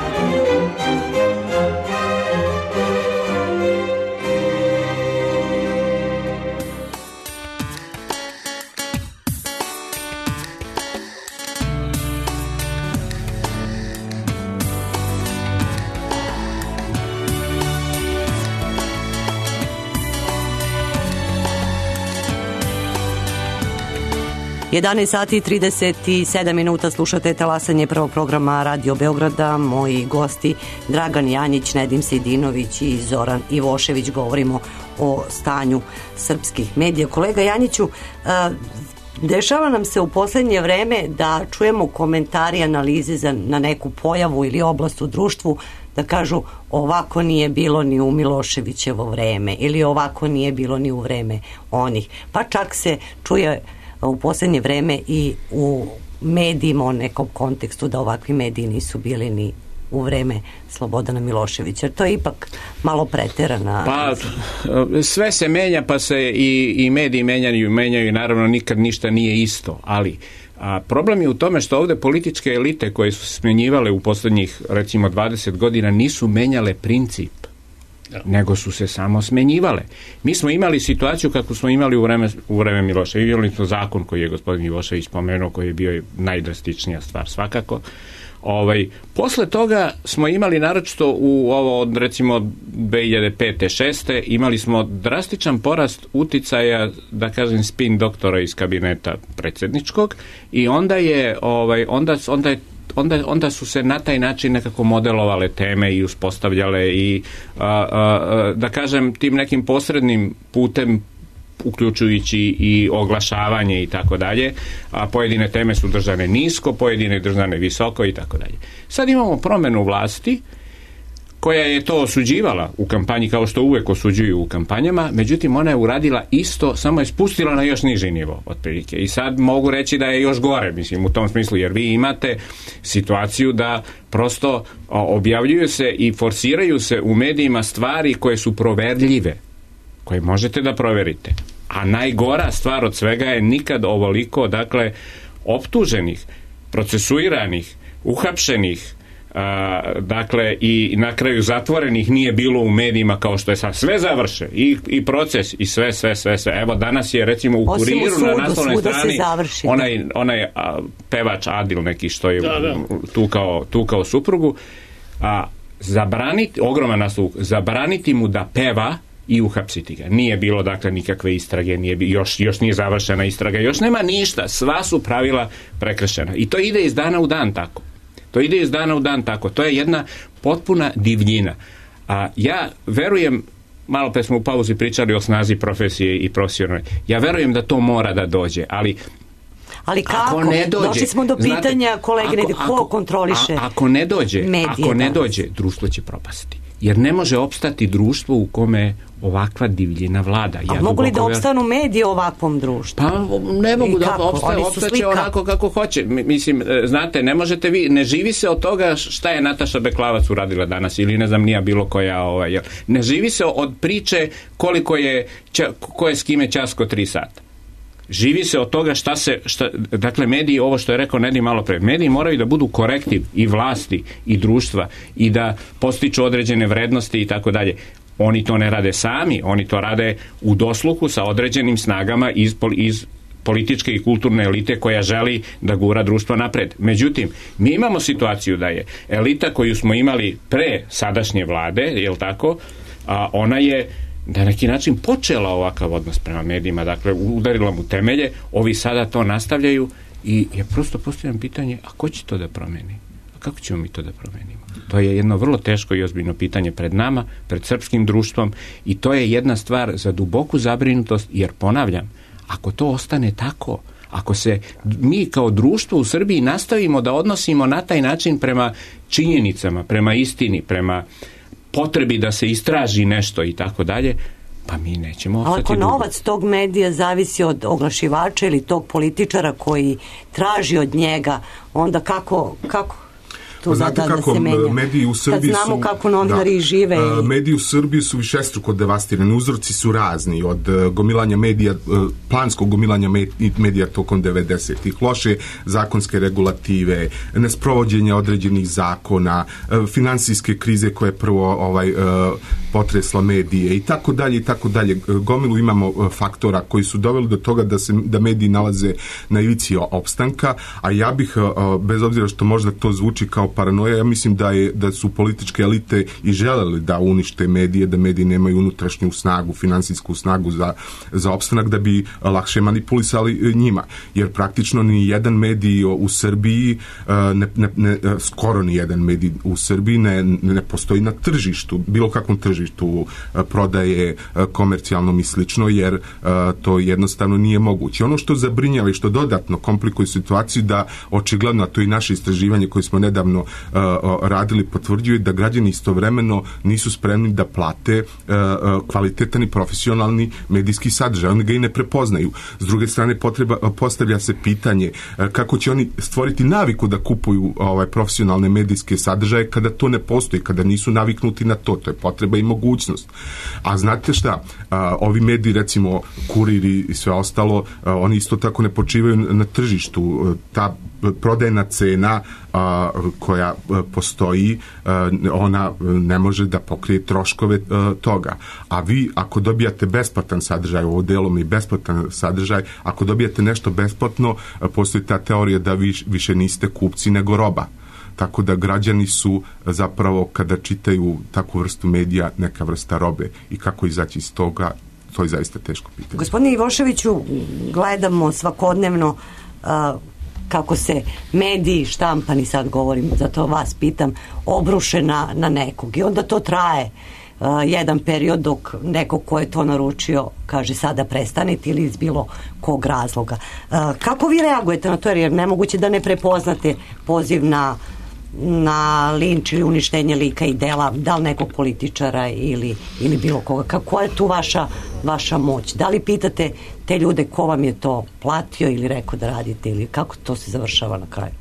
Sati i 37 minuta, slušate talasanje prvog programa Radio Beograda. Moji gosti Dragan Janjić, Nedim Sejdinović i Zoran Ivošević. Govorimo o stanju srpskih medija. Kolega Janjiću, dešava nam se u posljednje vreme da čujemo komentari i analize na neku pojavu ili oblast u društvu, da kažu ovako nije bilo ni u Miloševićevo vreme ili ovako nije bilo ni u vreme onih. Pa čak se čuje u posljednje vreme i u medijima o nekom kontekstu da ovakvi mediji nisu bili ni u vreme Slobodana Miloševića. To je ipak malo preterana. Pa sve se menja, pa se i mediji menjaju i naravno nikad ništa nije isto, ali problem je u tome što ovde političke elite koje su smenjivale u poslednjih recimo 20 godina nisu menjale princip, nego su se samo smenjivale. Mi smo imali situaciju kako smo imali u vreme Miloševića. Imali smo zakon koji je gospodin Milošević spomenuo, koji je bio najdrastičnija stvar svakako. Posle toga smo imali naročito u ovo od recimo 2005. 6. imali smo drastičan porast uticaja, da kažem, spin doktora iz kabineta predsjedničkog i onda su se na taj način nekako modelovale teme i uspostavljale i da kažem tim nekim posrednim putem, uključujući i oglašavanje i tako dalje, a pojedine teme su držane nisko, pojedine držane visoko i tako dalje. Sad imamo promenu vlasti koja je to osuđivala u kampanji, kao što uvek osuđuju u kampanjama, međutim ona je uradila isto, samo je spustila na još niži nivo otprilike. I sad mogu reći da je još gore, mislim, u tom smislu, jer vi imate situaciju da prosto objavljuju se i forsiraju se u medijima stvari koje su proverljive, koje možete da proverite. A najgora stvar od svega je nikad ovoliko, dakle, optuženih, procesuiranih, uhapšenih, dakle, i na kraju zatvorenih nije bilo u medijima kao što je sad. Sve završe, i proces, i sve. Evo, danas je, recimo, u Kuriru na naslovnoj strani onaj pevač Adil neki što je tu kao suprugu, zabraniti, ogroman naslov, zabraniti mu da peva i uhapsiti ga. Nije bilo, dakle, nikakve istrage, još nije završena istraga, još nema ništa, sva su pravila prekršena. I to ide iz dana u dan tako. To je jedna potpuna divljina. A ja verujem, malo pre smo u pauzi pričali o snazi profesije i profesionalne, ja verujem da to mora da dođe, ali kako? Došli smo do pitanja, kolege, ko kontroliše medije? Ako ne dođe, društvo će propasti. Jer ne može opstati društvo u kome ovakva divljina vlada. A mogu li da opstanu medije u ovakvom društvu? Pa ne mogu da opstaće onako kako hoće. Mislim, znate, ne možete vi, ne živi se od toga šta je Nataša Beklavac uradila danas ili ne znam nija bilo koja. Ne živi se od priče koliko je, ko je s kime ćasko 3 sata. Živi se od toga dakle, mediji, ovo što je rekao Nedim malo pre, mediji moraju da budu korektiv i vlasti i društva i da postiču određene vrednosti i tako dalje. Oni to ne rade sami, oni to rade u dosluhu sa određenim snagama iz političke i kulturne elite koja želi da gura društvo napred. Međutim, mi imamo situaciju da je elita koju smo imali pre sadašnje vlade, jel tako, ona je na neki način počela ovakav odnos prema medijima, dakle udarila mu temelje, ovi sada to nastavljaju i ja prosto postavljam pitanje, a ko će to da promeni? A kako ćemo mi to da promenimo? To je jedno vrlo teško i ozbiljno pitanje pred nama, pred srpskim društvom i to je jedna stvar za duboku zabrinutost, jer ponavljam, ako to ostane tako, ako se mi kao društvo u Srbiji nastavimo da odnosimo na taj način prema činjenicama, prema istini, prema potrebi da se istraži nešto i tako dalje, pa mi nećemo ostati dugo. Ako novac tog medija zavisi od oglašivača ili tog političara koji traži od njega, onda kako to znate kako mediji u Srbiji kad znamo kako novinari žive mediji u Srbiji su višestruko devastirani, uzroci su razni, od gomilanja medija, planskog gomilanja medija tokom 90-ih, loše zakonske regulative, nesprovođenja određenih zakona, finansijske krize koje prvo potresla medije i tako dalje. Gomilu imamo faktora koji su doveli do toga da mediji nalaze na ivici opstanka, a ja bih, bez obzira što možda to zvuči kao paranoja, ja mislim da su političke elite i želeli da unište medije, da mediji nemaju unutrašnju snagu, finansijsku snagu za opstanak, da bi lakše manipulisali njima. Jer praktično ni jedan medij u Srbiji, skoro ni jedan medij u Srbiji ne postoji na tržištu, bilo kakvom tržištu prodaje komercijalnom i slično, jer to jednostavno nije moguće. Ono što zabrinjava i što dodatno komplikuje situaciju, da očigledno, a to je naše istraživanje koje smo nedavno nedavno radili potvrđuje da građani istovremeno nisu spremni da plate kvalitetan i profesionalni medijski sadržaj. Oni ga i ne prepoznaju. S druge strane, postavlja se pitanje kako će oni stvoriti naviku da kupuju profesionalne medijske sadržaje kada to ne postoji, kada nisu naviknuti na to. To je potreba i mogućnost. A znate šta? Ovi mediji, recimo Kuriri i sve ostalo, oni isto tako ne počivaju na tržištu. Ta prodajna cena koja postoji, ona ne može da pokrije troškove toga. A vi, ako dobijate besplatan sadržaj, ovo delom i besplatan sadržaj, ako dobijate nešto besplatno, postoji ta teorija da vi više niste kupci nego roba. Tako da građani su zapravo, kada čitaju takvu vrstu medija, neka vrsta robe. I kako izaći iz toga, to je zaista teško pitanje. Gospodine Ivoševiću, gledamo svakodnevno kako se mediji, štampani, sad govorim, zato vas pitam, obruše na nekog. I onda to traje jedan period dok neko ko je to naručio kaže sada prestanite ili iz bilo kog razloga. Kako vi reagujete na to, jer je nemoguće da ne prepoznate poziv na linč ili uništenje lika i dela, da li nekog političara ili bilo koga? Kako je tu vaša moć? Da li pitate te ljude ko vam je to platio ili rekao da radite, ili kako to se završava na kraju?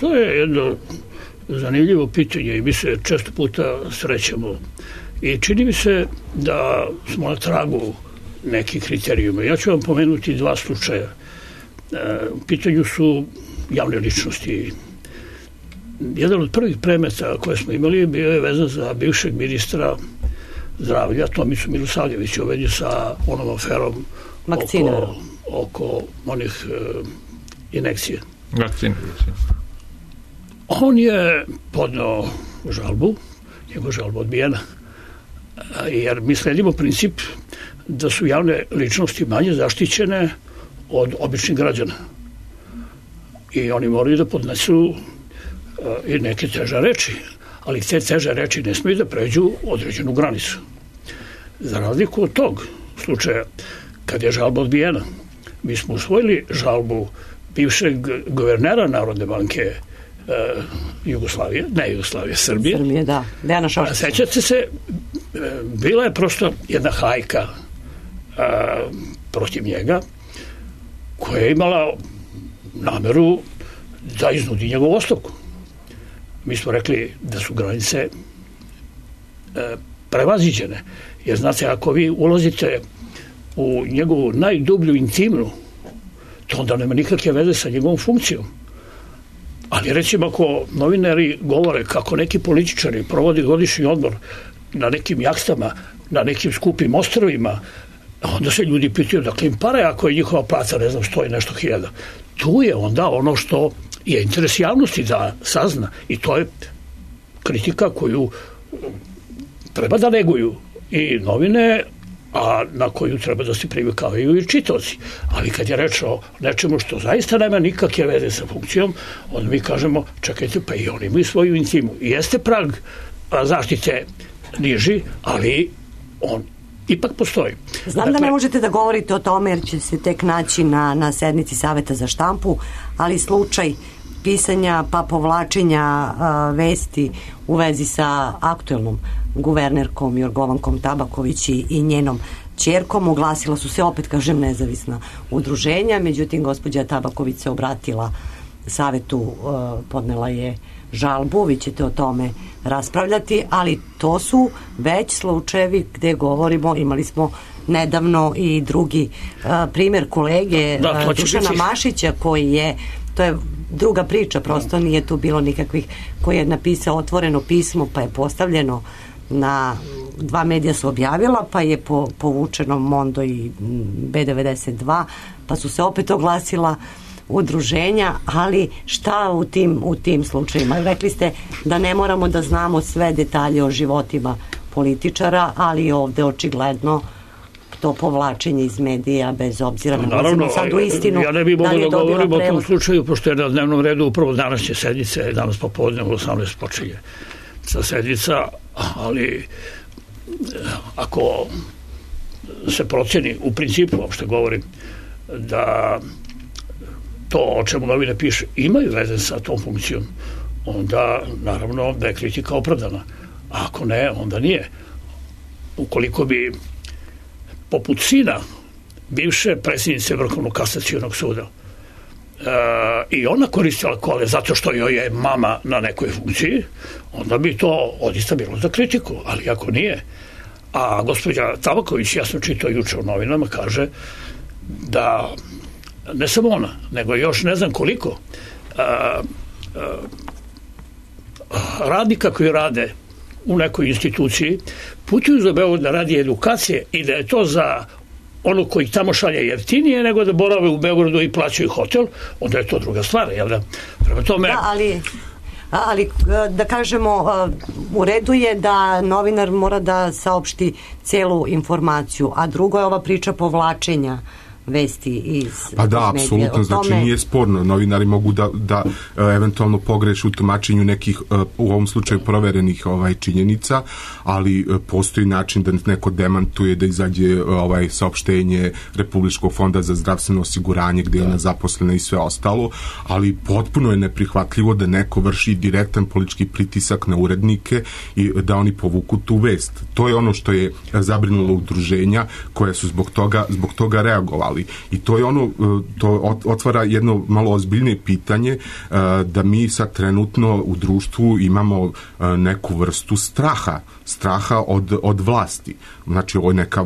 To je jedno zanimljivo pitanje i mi se često puta srećemo. I čini mi se da smo na tragu nekih kriterijuma. Ja ću vam pomenuti dva slučaja. U pitanju su javne ličnosti. Jedan od prvih predmeta koje smo imali bio je vezan za bivšeg ministra zdravlja Tomicu Milosavljevića u vezi sa onom aferom oko onih injekcije. On je podneo žalbu, njegova žalba odbijena, jer mi sledimo princip da su javne ličnosti manje zaštićene od običnih građana. I oni moraju da podnesu i neke teže reči, ali te teže reči ne smiju da pređu određenu granicu. Za razliku od tog slučaja, kad je žalba odbijena, mi smo usvojili žalbu bivšeg guvernera Narodne banke Srbije. Srbije, da. Dejana Šoškića. Sećate se, bila je prosto jedna hajka protiv njega, koja je imala nameru da iznudi njegovu ostavku. Mi smo rekli da su granice prevaziđene. Jer znate, ako vi ulazite u njegovu najdublju intimnu, to onda nema nikakve veze sa njegovom funkcijom. Ali recimo ako novinari govore kako neki političari provodi godišnji odmor na nekim jahtama, na nekim skupim ostrvima, onda se ljudi pitaju dakle im pare ako je njihova plata, ne znam što je nešto hiljada. Tu je onda ono što je interes javnosti da sazna i to je kritika koju treba da neguju i novine, a na koju treba da se privikavaju i čitaoci. Ali kad je reč o nečemu što zaista nema nikakve veze sa funkcijom, onda mi kažemo, čekajte, pa i oni imaju svoju intimu. I jeste prag zaštite niži, ali on ipak postoji. Znam da ne možete da govorite o tome jer će se tek naći na sednici Saveta za štampu, ali slučaj pisanja pa povlačenja vesti u vezi sa aktuelnom guvernerkom Jorgovankom Tabaković i njenom ćerkom, oglasila su se, opet kažem, nezavisna udruženja, međutim gospođa Tabaković se obratila Savetu, podnela je žalbu, vi ćete o tome raspravljati, ali to su već slučajevi gde govorimo, imali smo nedavno i drugi primer kolege Dušana Mašića koji je, to je druga priča, prosto nije tu bilo nikakvih, koji je napisao otvoreno pismo pa je postavljeno na dva medija su objavila, pa je povučeno Mondo i B92, pa su se opet oglasila udruženja, ali šta u tim slučajima? Rekli ste da ne moramo da znamo sve detalje o životima političara, ali ovde očigledno to povlačenje iz medija, bez obzira na sad u istinu. Ja ne bih mogla da govorim o tom slučaju, pošto je na dnevnom redu upravo današnje sednice, danas popodne u 18 počinje sa sednica, ali ako se proceni, u principu, uopšte govorim, da to o čemu novine piše imaju veze sa tom funkcijom, onda naravno da je kritika opravdana. A ako ne, onda nije. Ukoliko bi poput sina bivše predsjednice Vrhovnog kasacionog suda i ona koristila kole zato što joj je mama na nekoj funkciji, onda bi to odista bilo za kritiku, ali ako nije. A gospođa Tabaković, ja sam čitao juče u novinama, kaže da ne samo ona, nego još ne znam koliko radnika koji rade u nekoj instituciji putuju za Beograd da radi edukacije i da je to za ono koji tamo šalje jeftinije nego da borave u Beogradu i plaćaju hotel, onda je to druga stvar, jel da? Prema tome... Da, ali da kažemo, u redu je da novinar mora da saopšti celu informaciju, a drugo je ova priča povlačenja vesti iz pa da, apsolutno, znači nije sporno, novinari mogu da eventualno pogreše u tumačenju nekih u ovom slučaju proverenih činjenica, ali postoji način da neko demantuje, da izađe saopštenje Republičkog fonda za zdravstveno osiguranje gdje je ona zaposlena i sve ostalo, ali potpuno je neprihvatljivo da neko vrši direktan politički pritisak na urednike i da oni povuku tu vest. To je ono što je zabrinulo udruženja koja su zbog toga reagovali. I to je to otvara jedno malo ozbiljnije pitanje da mi sad trenutno u društvu imamo neku vrstu straha od vlasti. Znači ovo je neka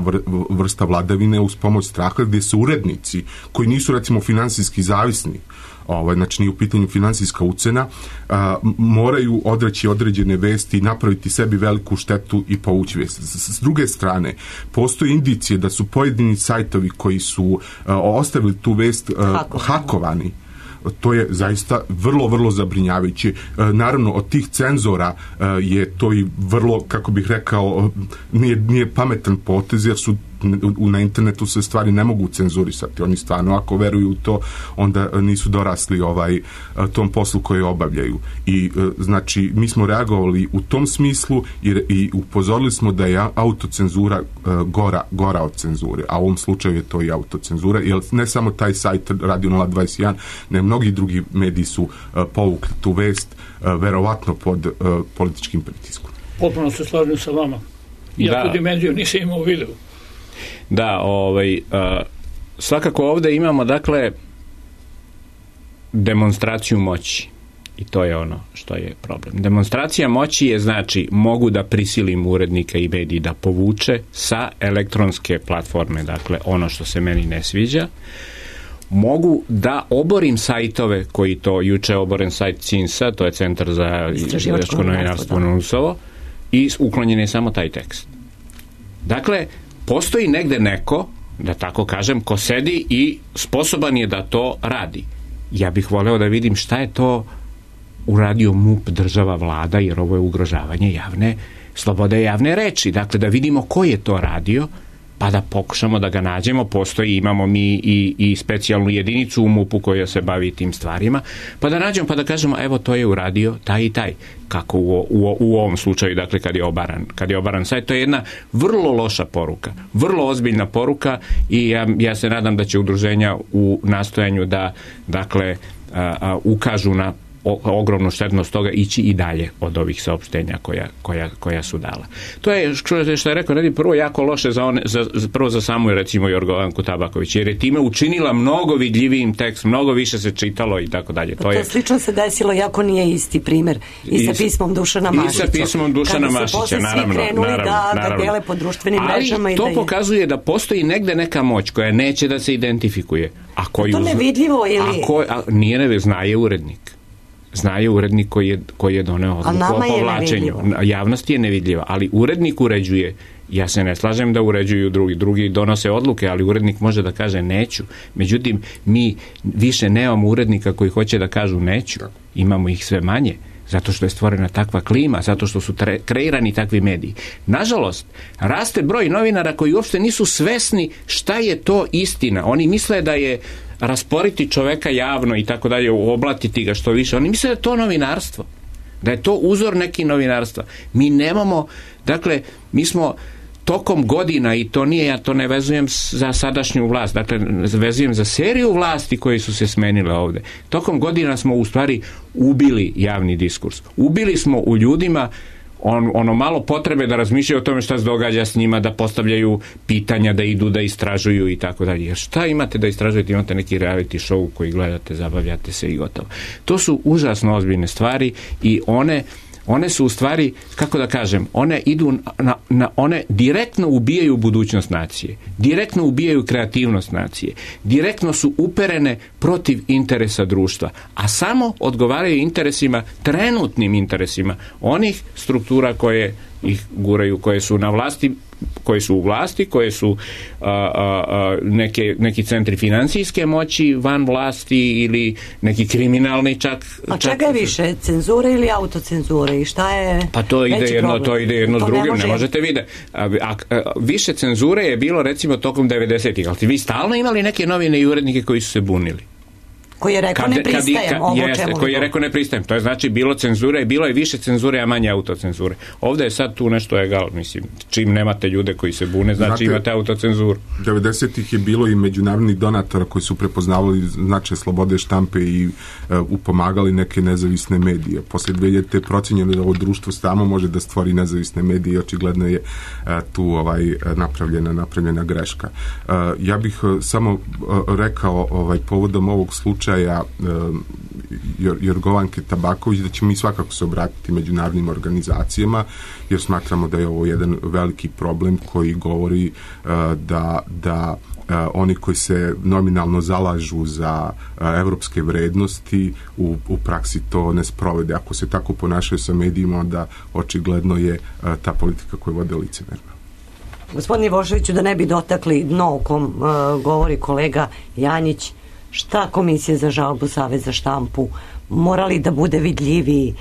vrsta vladavine uz pomoć straha gdje su urednici koji nisu recimo finansijski zavisni, znači nije u pitanju finansijska ucena, moraju odreći određene vesti i napraviti sebi veliku štetu i povući vesti. S druge strane, postoje indicije da su pojedini sajtovi koji su ostavili tu vest hakovani. To je zaista vrlo, vrlo zabrinjavajuće. Naravno, od tih cenzora je to i vrlo, kako bih rekao, nije pametan potez, jer su na internetu se stvari ne mogu cenzurisati. Oni stvarno, ako veruju u to, onda nisu dorasli tom poslu koji obavljaju. I znači, mi smo reagovali u tom smislu i upozorili smo da je autocenzura gora od cenzure. A u ovom slučaju je to i autocenzura, jer ne samo taj sajt Radio 021, ne mnogi drugi mediji su povukli tu vest, verovatno pod političkim pritiskom. Potpuno se slažem sa vama. Ja tu dimenziju nisam imao u videu. Da, svakako ovdje imamo, dakle, demonstraciju moći. I to je ono što je problem. Demonstracija moći je, znači, mogu da prisilim urednika i mediji da povuče sa elektronske platforme, dakle, ono što se meni ne sviđa. Mogu da oborim sajtove koji to, juče oboren sajt CINS-a, to je Centar za istraživačko novinarstvo NUNS-ovo, i uklonjen je samo taj tekst. Dakle, postoji negde neko, da tako kažem, ko sedi i sposoban je da to radi. Ja bih voleo da vidim šta je to uradio MUP, država, vlada, jer ovo je ugrožavanje javne slobode javne reči. Dakle, da vidimo ko je to radio, pa da pokušamo da ga nađemo. Postoji, imamo mi i specijalnu jedinicu u MUP-u koja se bavi tim stvarima, pa da nađemo, pa da kažemo, evo, to je uradio taj i taj. Kako u ovom slučaju, dakle, kad je obaran sajt, to je jedna vrlo loša poruka, vrlo ozbiljna poruka, i ja se nadam da će udruženja u nastojanju da, dakle, ukažu na ogromnu štetnost toga ići i dalje od ovih saopštenja koja su dala. To je, što je rekao, prvo jako loše prvo za samu, recimo, Jorgovanku Tabaković, jer je time učinila mnogo vidljivijim tekst, mnogo više se čitalo i tako dalje. To slično se desilo, jako nije isti primjer i sa pismom Dušana Mašića. I sa pismom Dušana Mašića, naravno. Kada su posle svi krenuli da dele po društvenim mrežama. Ali to pokazuje da postoji negde neka moć koja neće da se identifikuje. To nevidljivo ili... Zna je urednik. Zna je urednik koji je doneo odluku o povlačenju. Javnost je nevidljiva, ali urednik uređuje. Ja se ne slažem da uređuju drugi donose odluke, ali urednik može da kaže neću. Međutim, mi više nemamo urednika koji hoće da kažu neću. Imamo ih sve manje, zato što je stvorena takva klima, zato što su kreirani takvi mediji. Nažalost, raste broj novinara koji uopšte nisu svesni šta je to istina. Oni misle da je rasporiti čoveka javno i tako dalje, oblatiti ga što više. Oni misle da je to novinarstvo, da je to uzor neki novinarstva. Mi nemamo, dakle, mi smo tokom godina, i to nije, ja to ne vezujem za sadašnju vlast, dakle vezujem za seriju vlasti koje su se smenile ovde. Tokom godina smo u stvari ubili javni diskurs. Ubili smo u ljudima ono malo potrebe da razmišljaju o tome šta se događa s njima, da postavljaju pitanja, da idu, da istražuju i tako dalje. Jer šta imate da istražujete? Imate neki reality show koji gledate, zabavljate se i gotovo. To su užasno ozbiljne stvari i one su u stvari, kako da kažem, one idu one direktno ubijaju budućnost nacije, direktno ubijaju kreativnost nacije, direktno su uperene protiv interesa društva, a samo odgovaraju interesima, trenutnim interesima onih struktura koje ih guraju, koje su na vlasti, koje su u vlasti, koje su neki centri financijske moći van vlasti ili neki kriminalni čak. A čega je više, cenzure ili autocenzure i šta je? Pa to ide jedno s drugim, ne možete vidjeti. Više cenzure je bilo recimo tokom 90-ih, ali vi stalno imali neke novine i urednike koji su se bunili. Koji je rekao ne pristajem koji je rekao ne pristajem. To je znači bilo cenzure i bilo je više cenzure, a manje autocenzure. Ovdje je sad tu nešto egal, mislim. Čim nemate ljude koji se bune, znači imate autocenzuru. 90-ih je bilo i međunarodnih donatora koji su prepoznavali značaj slobode štampe i upomagali neke nezavisne medije. Posle 2000 je procenjeno da ovo društvo samo može da stvori nezavisne medije i očigledno je tu napravljena greška. Ja bih samo rekao povodom ovog slučaja Jorgovanke Tabaković da ćemo mi svakako se obratiti međunarodnim organizacijama jer smatramo da je ovo jedan veliki problem koji govori da oni koji se nominalno zalažu za evropske vrednosti u praksi to ne sprovede. Ako se tako ponašaju sa medijima, onda očigledno je ta politika koju vode licemerna. Gospodine Ivoševiću, da ne bi dotakli dno o kom govori kolega Janjić, šta Komisija za žalbu, Savez za štampu morali da bude vidljiviji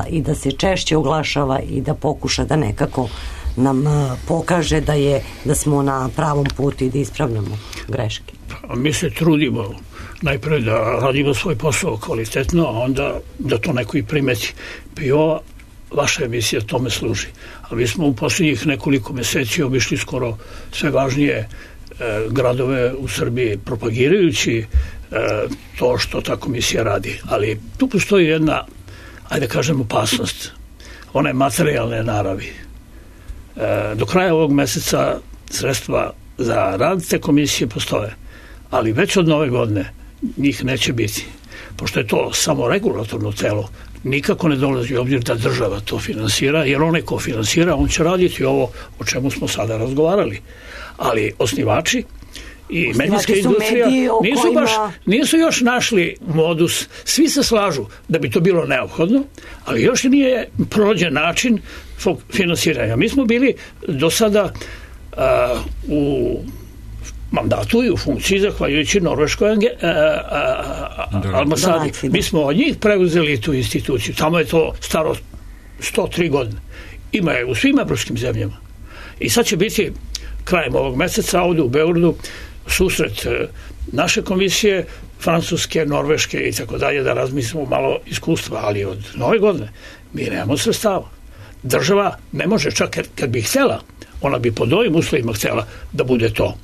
i da se češće oglašava i da pokuša da nekako nam pokaže da smo na pravom putu i da ispravljamo greške? Mi se trudimo najpre da radimo svoj posao kvalitetno, a onda da to neko i primeti. I ova vaša emisija tome služi. A mi smo u posljednjih nekoliko meseci obišli skoro sve važnije gradove u Srbiji propagirajući to što ta komisija radi. Ali tu postoji jedna, ajde kažem, opasnost. Ona je materijalne naravi. Do kraja ovog meseca sredstva za rad te komisije postoje, ali već od nove godine njih neće biti. Pošto je to samo regulatorno telo, nikako ne dolazi u obzir da država to finansira, jer onaj ko finansira, on će raditi ovo o čemu smo sada razgovarali. Ali osnivači i medijska industrija nisu još našli modus. Svi se slažu da bi to bilo neophodno, ali još nije prođen način finansiranja. Mi smo bili do sada u mandatu i u funkciji zahvaljujući Norveškoj ambasadi. Mi smo od njih preuzeli tu instituciju. Tamo je to staro 103 godine. Ima je u svim evropskim zemljama. I sad će biti krajem ovog meseca ovdje u Beogradu susret naše komisije, francuske, norveške i tako dalje, da razmislimo malo iskustva, ali od nove godine mi nemamo sredstava. Država ne može, čak kad bi htjela, ona bi pod ovim uslovima htjela da bude to.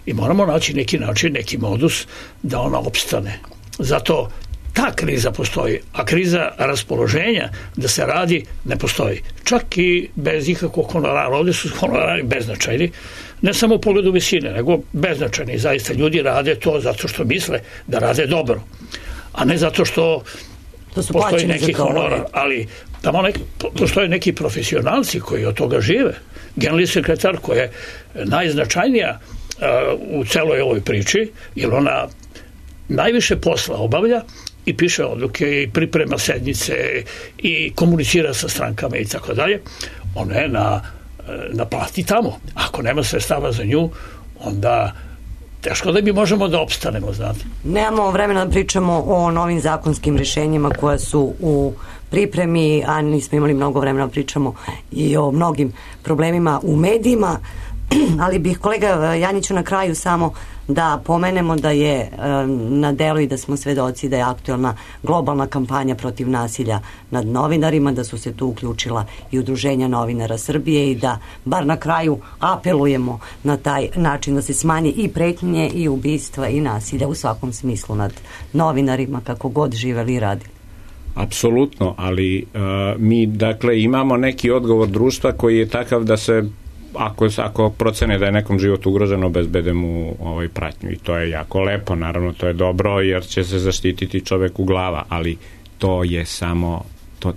I moramo naći neki način, neki modus da ona opstane. Zato ta kriza postoji, a kriza raspoloženja da se radi ne postoji. Čak i bez ikakvog honorara. Ovdje su honorari beznačajni, ne samo u pogledu visine, nego beznačajni. Zaista ljudi rade to zato što misle da rade dobro, a ne zato što postoji neki honorar. Ali tamo postoje neki profesionalci koji od toga žive. Generalni sekretar koja je najznačajnija u celoj ovoj priči, jer ona najviše posla obavlja i piše odluke i priprema sednice i komunicira sa strankama i tako dalje. Ona je na plati tamo. Ako nema sredstava za nju, onda teško da mi možemo da opstanemo, znate. Nemamo vremena da pričamo o novim zakonskim rješenjima koja su u pripremi, a nismo imali mnogo vremena da pričamo i o mnogim problemima u medijima, Ali bih kolega Janjiću na kraju samo da pomenemo da je na delu i da smo svedoci da je aktuelna globalna kampanja protiv nasilja nad novinarima, da su se tu uključila i Udruženja novinara Srbije i da bar na kraju apelujemo na taj način da se smanji i pretnje i ubistva i nasilja u svakom smislu nad novinarima kako god živeli i radili. Apsolutno, ali mi dakle imamo neki odgovor društva koji je takav da se ako procene da je nekom život ugroženo, obezbede mu pratnju i to je jako lepo, naravno to je dobro jer će se zaštititi čoveku glava, ali to je samo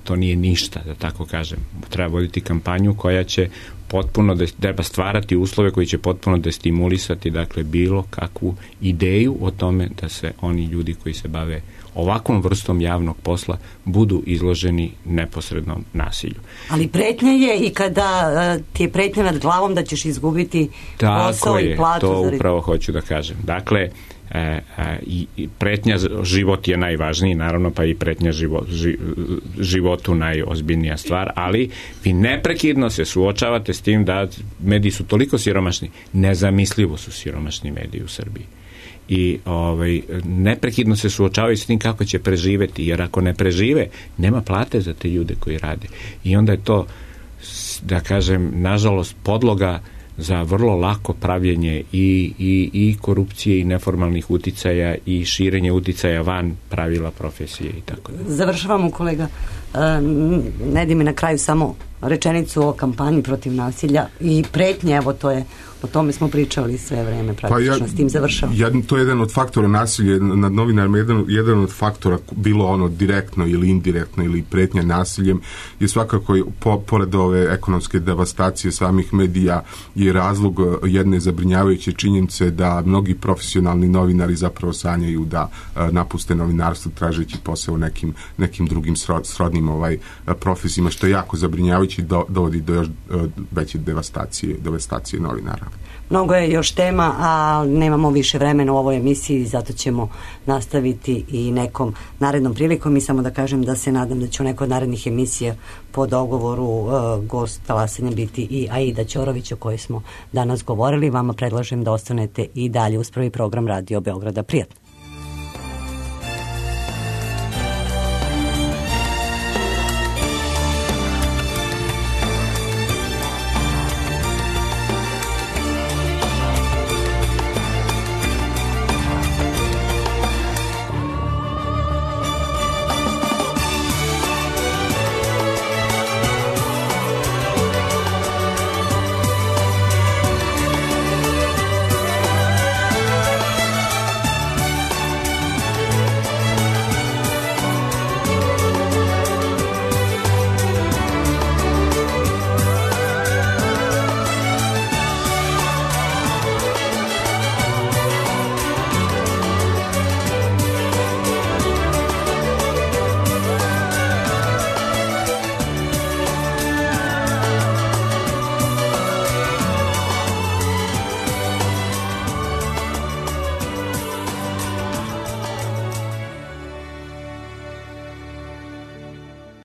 to nije ništa, da tako kažem. Treba voditi kampanju koja će potpuno treba stvarati uslove koji će potpuno destimulisati dakle bilo kakvu ideju o tome da se oni ljudi koji se bave ovakvom vrstom javnog posla budu izloženi neposrednom nasilju. Ali pretnja je i kada ti je pretnja nad glavom da ćeš izgubiti posao i platu. Tako je, to upravo hoću da kažem. Dakle, i pretnja život je najvažniji, naravno pa i pretnja životu najozbiljnija stvar, ali vi neprekidno se suočavate s tim da mediji su toliko siromašni, nezamislivo su siromašni mediji u Srbiji. I neprekidno se suočavaju s tim kako će preživeti, jer ako ne prežive, nema plate za te ljude koji rade. I onda je to, da kažem, nažalost podloga za vrlo lako pravljenje i korupcije i neformalnih uticaja i širenje uticaja van pravila profesije i tako da. Završavamo, kolega. Ne di mi na kraju samo rečenicu o kampanji protiv nasilja i pretnje, evo to je, o tome smo pričali sve vreme, praktično s tim završavam. To je jedan od faktora nasilja nad novinarima, jedan od faktora, bilo ono direktno ili indirektno ili pretnja nasiljem, je svakako pored ove ekonomske devastacije samih medija je razlog jedne zabrinjavajuće činjenice da mnogi profesionalni novinari zapravo sanjaju da napuste novinarstvo tražeći posao nekim drugim srodnim profesijama, što je jako zabrinjavajuće i dovodi do još veće devastacije novinara. Mnogo je još tema, a nemamo više vremena u ovoj emisiji, zato ćemo nastaviti i nekom narednom prilikom. I samo da kažem da se nadam da će u nekoj narednih emisija po dogovoru gost talasanja biti i Aida Ćorović, o kojoj smo danas govorili. Vama predlažem da ostanete i dalje uz prvi program Radio Beograda. Prijatno.